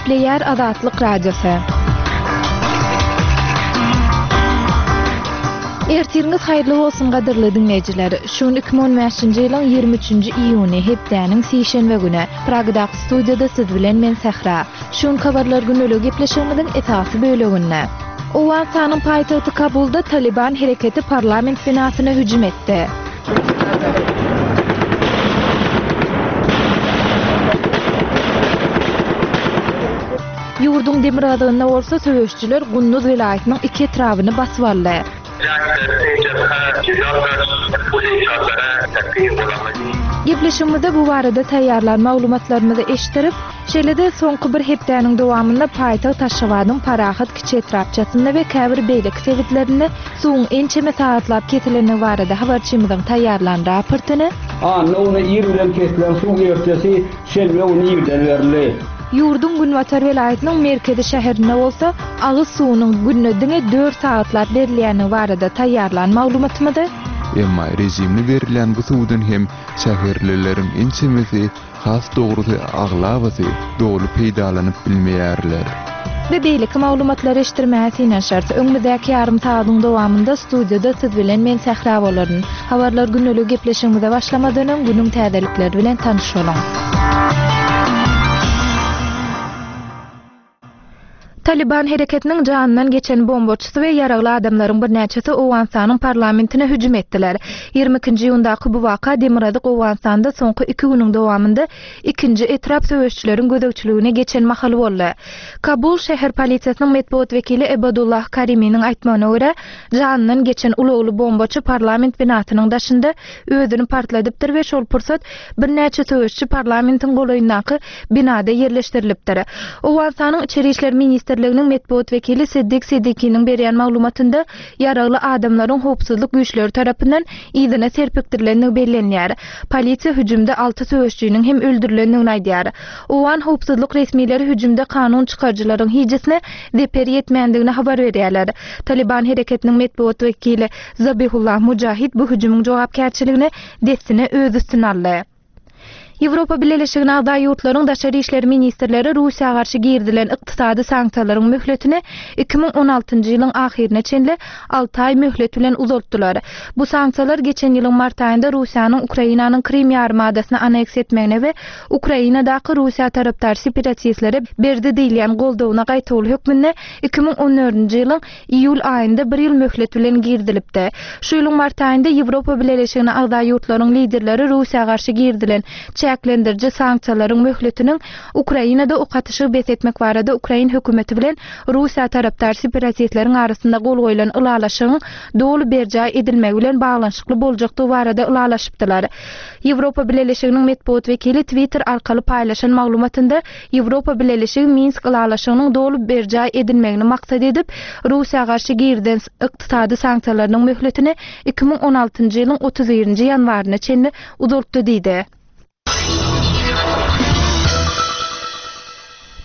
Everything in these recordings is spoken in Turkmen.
Gepleýär Azatlyk Radiosy. Ertiriňiz haýyrly bolsun gadyrly diňleýjiler. Şu gün 2015-nji ýylyň 23-nji iýuny, hepdäniň sişenbe güni. Pragadaky studiýada siz bilen men Sähra. Şu günki habarlar gündeligi gepleşigimiziň esasy böleginde. Owganystanyň paýtagty Kabulda Talyban hereketi parlament binasyna hüjüm etdi. Ýurduň demirgazygynda bolsa söweşijiler Gunduz welaýatynyň iki etrabyny basyp aldy. Gepleşigimizde bu barada taýýarlan maglumatlarymyzy eşitdirip, şeýle-de soňky bir hepdäniň dowamynda paýtagt Aşgabadyň Parahat kiçi etrapçasynda we käbir beýleki sebitlerinde Suwuň ençeme sagatlap kesilendigi barada habarçymyzyň taýýarlan raportyny. Anna güni ir bilen kesilen suw ertesi şenbe güni irden berildi. Ýurduň günbatar welaýatynyň merkezi şäherinde bolsa agyz suwunyň günde diňe dört sagatlap berilýändigi barada taýýarlan maglumatymyzy. Emma režimli berilýän bu suwdan hem şäherlileriň ençemesi Has dogrusy aglabasy doly peýdalanyp bilmeýärler. We beýleki maglumatlary eşitdirmäge synanyşarys. Öňümizdäki ýarym sagadyň dowamynda studiýada siz bilen men Sähra bolaryn. Habarlar gündeligi gepleşigimize başlamadan öň günüň täzelikleri bilen tanyş boluň. Talyban hereketiniň janyndan geçen bombaçysy we ýaragly adamlaryň birnäçesi Owganystanyň parlamentine hüjüm etdiler. Ýigrimi ikinji iýundaky bu waka demirgazyk Owganystanda soňky iki günüň dowamynda ikinji etrap söweşijileriň gözegçiligine geçen mahaly boldy. Kabul şäher polisiýasynyň metbugat wekili Ebadullah Kariminiň aýtmagyna görä, janyndan geçen ulagly bombaçy parlament binasynyň daşynda özüni partladypdyr we şol pursat birnäçe söweşçi parlamentiň golaýyndaky binada ýerleşdirilipdir. Owganystanyň Içeri işler ministrliginiň metbugat wekili Siddik Siddikiniň berýän maglumatynda ýaragly adamlaryň howpsuzlyk güýçleri tarapyndan yzyna serpikdirilendigi bellenýär. Polisiýa hüjümde alty söweşijiniň hem öldürilendigini aýdýar. Owgan howpsuzlyk resmileri hüjümde kanun çykaryjylaryň hijisine zeper ýetmändigini habar berýärler. Talyban hereketiniň metbugat wekili Zabihullah Mujahid bu hüjümiň jogapkärçiligini dessine öz üstüne aldy. Ýewropa Bileleşigine agza ýurtlaryň daşary işler ministrleri Russiýa garşy girizilen ykdysady sanksiýalaryň möhletini 2016-njy ýylyň ahyryna çenli alty aý möhlet bilen uzaltdylar. Bu sanksiýalar geçen ýylyň mart aýynda Russiýanyň Ukrainanyň Krym ýarymadasyny anneksiýa etmegine we Ukrainadaky Russiýa tarapdar separatistlere berdi diýilýän goldawyna gaýtawul hökmünde 2014-nji ýylyň iýul aýynda bir ýyl möhlet bilen girizilipdi. Şu ýylyň mart aýynda Ýewropa Bileleşigine agza ýurtlaryň liderleri Russiýa garşy girizilen çäklendiriji sanksiýalaryň möhletiniň Ukrainada ok atyşygy bes etmek barada ukrain hökümeti bilen Russiýa tarapdar separatistleriň arasynda gol goýlan ylalaşygyň doly berjaý edilmegi bilen baglanyşykly boljakdygy barada ylalaşypdylar. Ýewropa Bileleşiginiň metbugat wekili Twitter arkaly paýlaşan maglumatynda Ýewropa Bileleşigi Minsk ylalaşygynyň doly berjaý edilmegini maksat edip, Russiýa garşy girizen ykdysady sanksiýalarynyň möhletini 2016-njy ýylyň 31-nji ýanwaryna çenli uzaltdy diýdi.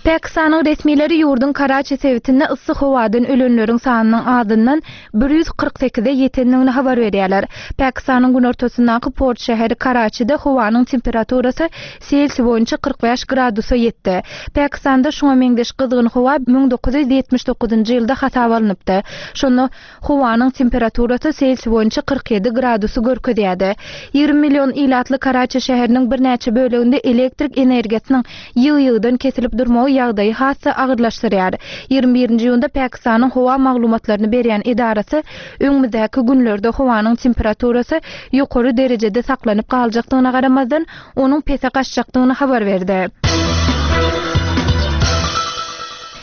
Pakistanyň resmileri ýurduň Karaçi sebitinde yssy howadan ölenleriň sanynyň azyndan 148-e ýetendigini habar berýärler. Pakistanyň günortasyndaky port şäheri Karaçide howanyň temperaturasy Selsiý boýunça 45 gradusa ýetdi. Pakistanda şuňa meňzeş gyzgyn howa 1979-njy ýylda hasaba alnypdy. Şonda howanyň temperaturasy Selsiý boýunça 47 gradusy görkezýärdi. 20 million ilatly Karaçi şäheriniň birnäçe böleginde elektrik energiýasynyň ýygy-ýygydan kesilip durmagy ýagdaýy has-da agyrlaşdyrýar. 21-nji iýunda Pakistanyň howa maglumatlaryny berýän edarasy öňümizdäki günlerde howanyň temperaturasy ýokary derejede saklanyp galjakdygyna garamazdan, onuň pese gaçjakdygyny habar berdi.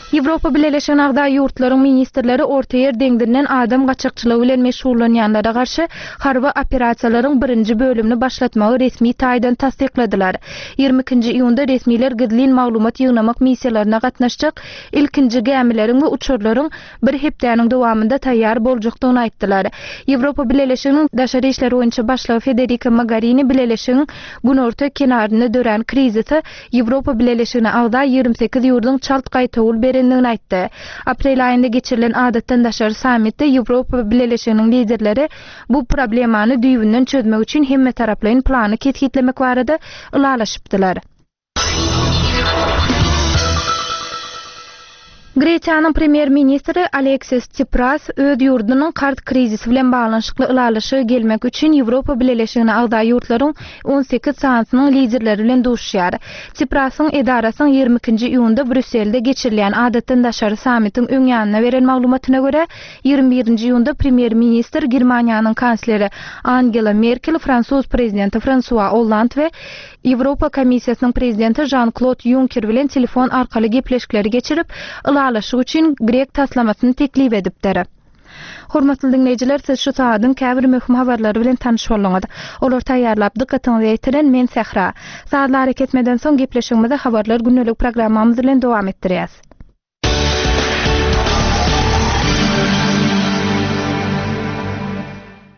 Ýewropa Bileleşigine agza ýurtlaryň ministrleri Ortaýer deňzinden adam gaçakçylygy bilen meşgullanýanlara garşy harby operasiýalaryň birinji bölümini başlatmagy resmi taýdan tassykladylar. 22-nji iýunda resmiler gizlin maglumat ýygnamak missiýalaryna gatnaşjak ilkinji gämileriň we uçarlaryň bir hepdäniň dowamynda taýýar boljakdygyny aýtdylar. Ýewropa Bileleşiginiň daşary işler boýunça başlygy Federika Mogarini bileleşigiň günorta kenarynda dörän krizise Ýewropa Bileleşigine agza 28 ýurduň çalt gaýtawul berendigini aýtdy. Aprel aýynda geçirilen adatdan daşary sammitde Ýewropa Bileleşiginiň liderleri bu problemany düýbünden çözmek üçin hemmetaraplaýyn plany kesgitlemek barada ylalaşypdylar. Gresiýanyň premýer-ministri Aleksis Tsipras öz ýurdunyň karz krizisi bilen baglanyşykly ylalaşyga gelmek üçin Ýewropa Bileleşigine agza ýurtlaryň 18 sanysynyň liderleri bilen duşuşýar. Tsiprasyň edarasynyň 22-nji iýunda Brýusselde geçirilýän adatdan daşary sammitiň öň ýanynda beren maglumatyna görä, 21-nji iýunda premýer-ministr Germaniýanyň kansleri Angela Merkel, fransuz prezidenti Fransua Olland we Ýewropa Komissiýasynyň prezidenti Žan-Klod Ýunker bilen telefon arkaly gepleşikleri geçirip, ylalaşyk üçin grek taslamasyny teklip edipdir. Hormatly diňleýjiler, siz şu sagadyň käbir möhüm habarlary bilen tanyş bolduňyz. Olary taýýarlap, dykgatyňyza ýetiren men Sähra. Sazly arakesmeden soň gepleşigimizi Habarlar gündelik programmamyz bilen dowam etdirýäs.